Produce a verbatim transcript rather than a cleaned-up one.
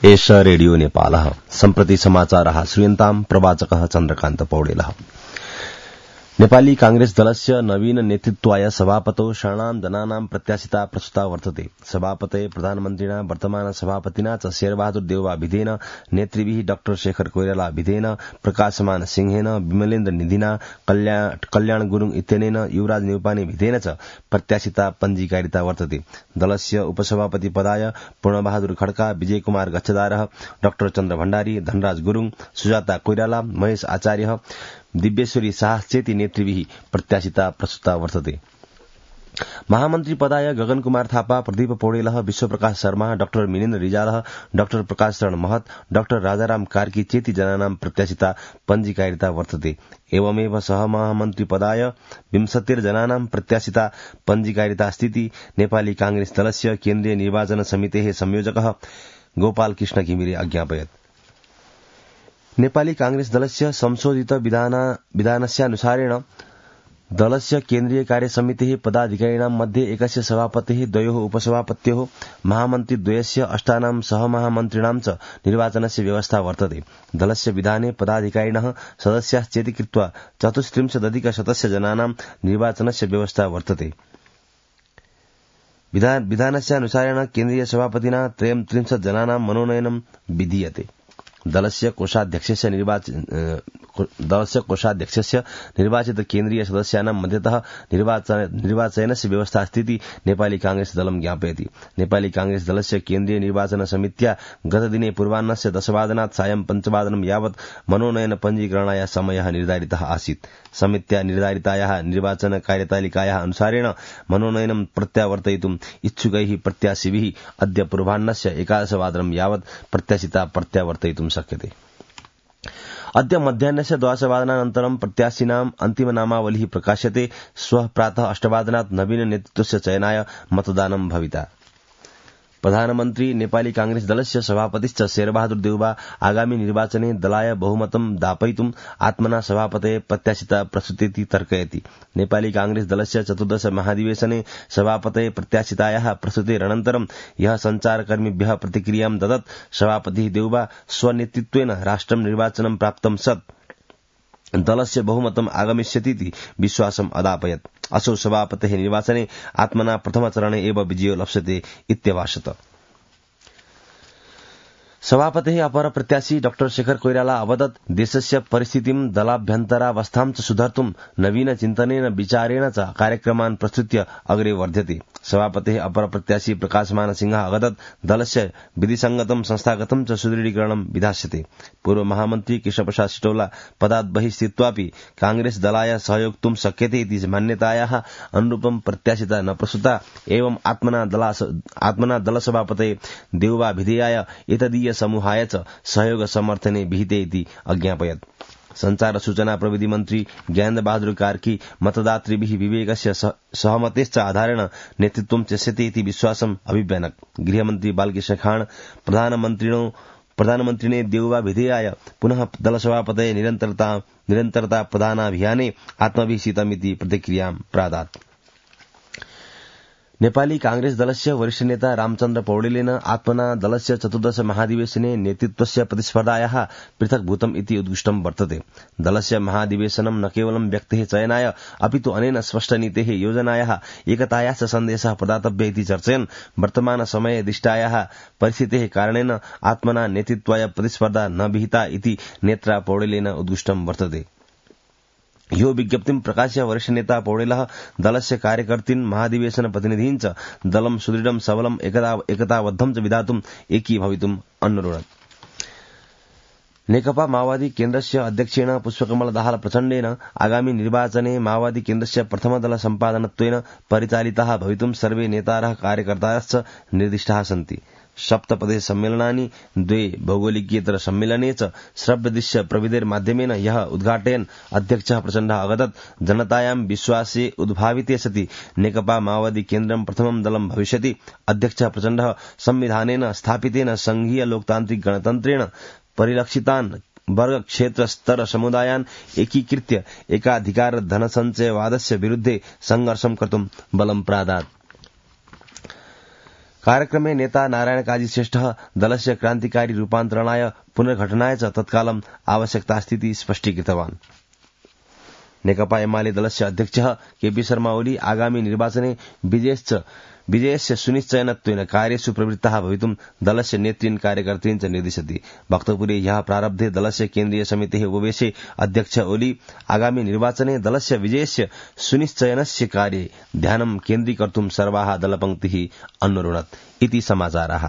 एष रेडियो नेपालः सम्प्रति समाचारः श्रूयन्ताम् प्रवाचकः चन्द्रकान्त पौडेलः। नेपाली कांग्रेस दलस्य नवीन नेतृत्वाय सभापतौ षण्णां जनानां प्रत्याशिता प्रस्तुता वर्तते। सभापते प्रधानमन्त्रिणा वर्तमान सभापतिना च शेरबहादुर देउवा भिधेन, नेतृभिः डाक्टर शेखर कोइराला भिधेन, प्रकाशमान सिंहेन, विमलेन्द्र निधिना, कल्याण, कल्याण गुरूङ इत्यनेन, युवराज न्यौपाने भिधेन च प्रत्याशिता पञ्जीकारिता वर्तते। दलस्य उपसभापति पदाय पूर्णबहादुर खड्का, विजय कुमार गच्छदारः, डाक्टर चन्द्र भण्डारी, धनराज गुरूङ, सुजाता कोइराला, महेश आचार्य, दिव्येश्वरी शाह चेती नेतृभिः प्रत्याशिता प्रस्तुता वर्तते। महामन्त्री पदाय गगन कुमार थापा, प्रदीप पौडेलः, विश्वप्रकाश शर्मा, डाक्टर मिनेन्द्र रिजालः, डाक्टर प्रकाश शरण महत, डाक्टर राजाराम कार्की चेती जनानां प्रत्याशिता पञ्जीकारिता वर्तते। एवमेव सहमहामन्त्री पदाय विंशतिर्जनानां प्रत्याशिता पञ्जीकारिता स्थिति नेपाली कांग्रेस दलस्य केन्द्रीय निर्वाचन समितेः संयोजकः गोपाल कृष्ण घिमिरे अज्ञापयत्। नेपाली कांग्रेस दलस्य संशोधित विधानस्यानुसारेण दलस्य केन्द्रीय कार्यसमितिः पदाधिकारिणां मध्ये एकस्य सभापतिः, द्वयोः उपसभापत्योः, महामन्त्री द्वयस्य, अष्टानां सहमहामन्त्रिणां च निर्वाचनस्य व्यवस्था वर्तते। दलस्य विधाने पदाधिकारिणः सदस्याश्चेति कृत्वा चतुस्त्रिंशदधिकशतस्य जनानां निर्वाचनस्य व्यवस्था वर्तते। विधानस्यानुसारेण केन्द्रीय सभापतिना त्रयस्त्रिंशत् जनानां मनोनयनं विधीयते। दलस्य कोषाध्यक्षस्य निर्वाचन दलस्य कोषाध्यक्षस्य निर्वाचित केन्द्रीय सदस्यानां मध्यतः निर्वाचनस्य व्यवस्था स्थिति नेपाली कांग्रेस दलं ज्ञापयति। नेपाली कांग्रेस दलस्य केन्द्रीय निर्वाचन समित्या गतदिने पूर्वाह्नस्य दशवादनात् सायं पञ्चवादनं यावत् मनोनयन पञ्जीकरणाय समयः निर्धारितः आसीत्। समित्या निर्धारितायाः निर्वाचन कार्यतालिकायाः अनुसारेण मनोनयनं प्रत्यावर्तयितुम् इच्छुकैः प्रत्याशिभिः अद्य पूर्वाह्नस्य एकादशवादनं यावत् प्रत्याशिता प्रत्यावर्तयितुं शक्यते। अद्य मध्याह्नस्य द्वादशवादनानन्तरं प्रत्याशिनाम् अन्तिमनामावलिः प्रकाश्यते। श्वः प्रातः अष्टवादनात् नवीन नेतृत्वस्य चयनाय मतदानं भविता। प्रधानमन्त्री नेपाली कांग्रेस दलस्य सभापतिश्च शेरबहादुर देउवा आगामी निर्वाचने दलाय बहुमतं दापयितुम् आत्मना सभापते प्रत्याशिता प्रस्तुतेति तर्कयति। नेपाली कांग्रेस दलस्य चतुर्दश महाधिवेशने सभापते प्रत्याशितायाः प्रस्तुतेरनन्तरं यः सञ्चारकर्मिभ्यः प्रतिक्रियां ददत्। सभापतिः देउवा स्वनेतृत्वेन राष्ट्रं निर्वाचनं प्राप्तं सत् दलस्य बहुमतम् आगमिष्यतीति विश्वासम् अदापयत्। असौ सभापतेः निर्वाचने आत्मना प्रथमचरणे एव विजयो लप्स्यते इत्यभाषत। सभापतेः अपर प्रत्याशी डाक्टर शेखर कोइराला अवदत् देशस्य परिस्थितिं दलाभ्यन्तरावस्थां च सुधर्तुं नवीन चिन्तनेन विचारेण च कार्यक्रमान् प्रस्तुत्य अग्रे वर्ध्यते। सभापतेः अपर प्रत्याशी प्रकाशमान सिंहः अवदत् दलस्य विधिसंगतं संस्थागतं च सुदृढीकरणं विधास्यते। पूर्व महामन्त्री कृष्णप्रसाद सिटौला पदात् बहिः स्थित्वापि कांग्रेस दलाय सहयोक्तुं शक्यते इति मान्यतायाः अनुरूपं प्रत्याशिता न प्रस्तुता। एवं आत्मना दला आत्मना दलसभापते देउवा भिधेयाय एतदीय समूहाय च सहयोग समर्थने विहिते इति अज्ञापयत्। संचार सूचना प्रविधि मन्त्री ज्ञानेन्द्र बहादुर कार्की मतदातृभिः विवेकस्य सहमतेश्च आधारेण नेतृत्वं त्यस्यते इति विश्वासम् अभिव्यनक्। गृहमन्त्री बालकृष्ण खाँड प्रधानमन्त्रिणो प्रधानमन्त्रिणे देउवा भिधेयाय पुनः दलसभापते निरन्तरता निरन्तरता प्रदानाभियाने आत्मविहितमिति प्रतिक्रियां प्रादात्। नेपाली कांग्रेस दलस्य वरिष्ठ नेता रामचन्द्र पौडेलेन आत्मना दलस्य चतुर्दश महाधिवेशने नेतृत्वस्य प्रतिस्पर्धायाः पृथक्भूतम् इति उद्घुष्टं वर्तते। दलस्य महाधिवेशनं न केवलं व्यक्तेः चयनाय अपितु अनेन स्पष्टनीतेः योजनायाः एकतायाश्च सन्देशः प्रदातव्य इति चर्चयन् वर्तमान समये दृष्टायाः परिस्थितेः कारणेन आत्मना नेतृत्वाय प्रतिस्पर्धा न विहिता इति नेत्रा पौडेलेन उद्घुष्टं वर्तते। यो विज्ञप्तिं प्रकाश्य वरिष्ठ नेता पौडेलः दलस्य कार्यकर्तृन् महाधिवेशन प्रतिनिधीन् च दलं सुदृढं सबलं एकता एकताबद्धं च विधातुम् एकीभवितुम् अनुरोधत्। नेकपा माओवादी केन्द्रस्य अध्यक्षेण पुष्पकमल दाहाल प्रचण्डेन आगामी निर्वाचने माओवादी केन्द्रस्य प्रथमदल सम्पादनत्वेन परिचालिताः भवितुं सर्वे नेतारः कार्यकर्तारश्च निर्दिष्टाः सन्ति। सप्तपदे सम्मेलनानि द्वे भौगोलिकीयतर सम्मेलने च श्रव्यदृश्य प्रविधिर्माध्यमेन यः उद्घाटयन् अध्यक्षः प्रचण्डः अवदत् जनतायां विश्वासे उद्भाविते सति नेकपा माओवादी केन्द्रं प्रथमं दलं भविष्यति। अध्यक्षः प्रचण्डः संविधानेन स्थापितेन संघीय लोकतान्त्रिक गणतन्त्रेण परिलक्षितान् वर्ग क्षेत्र स्तर समुदायान् एकीकृत्य एकाधिकार धनसञ्चयवादस्य विरुद्धे संघर्षं कर्तुं बलं प्रादात्। कार्यक्रमे नेता नारायण काजी श्रेष्ठः दलस्य क्रान्तिकारी रूपान्तरणाय पुनर्घटनाय च तत्कालम् आवश्यकतास्थिति स्पष्टीकृतवान्। नेकपा एमाले दलस्य अध्यक्षः केपी शर्मा ओली आगामी निर्वाचने विजयस्य सुनिश्चयनत्वेन कार्येषु प्रवृत्तः भवितुं दलस्य नेतृन् कार्यकर्तॄन् च निर्दिशति। वक्तव्ये ह्यः प्रारब्धे दलस्य केन्द्रीय समितेः उपवेशे अध्यक्ष ओली आगामी निर्वाचने दलस्य विजयस्य सुनिश्चयनस्य कार्ये ध्यानं केन्द्रीकर्तुं सर्वाः दलपङ्क्तिः अन्वरुणत् इति समाचारः।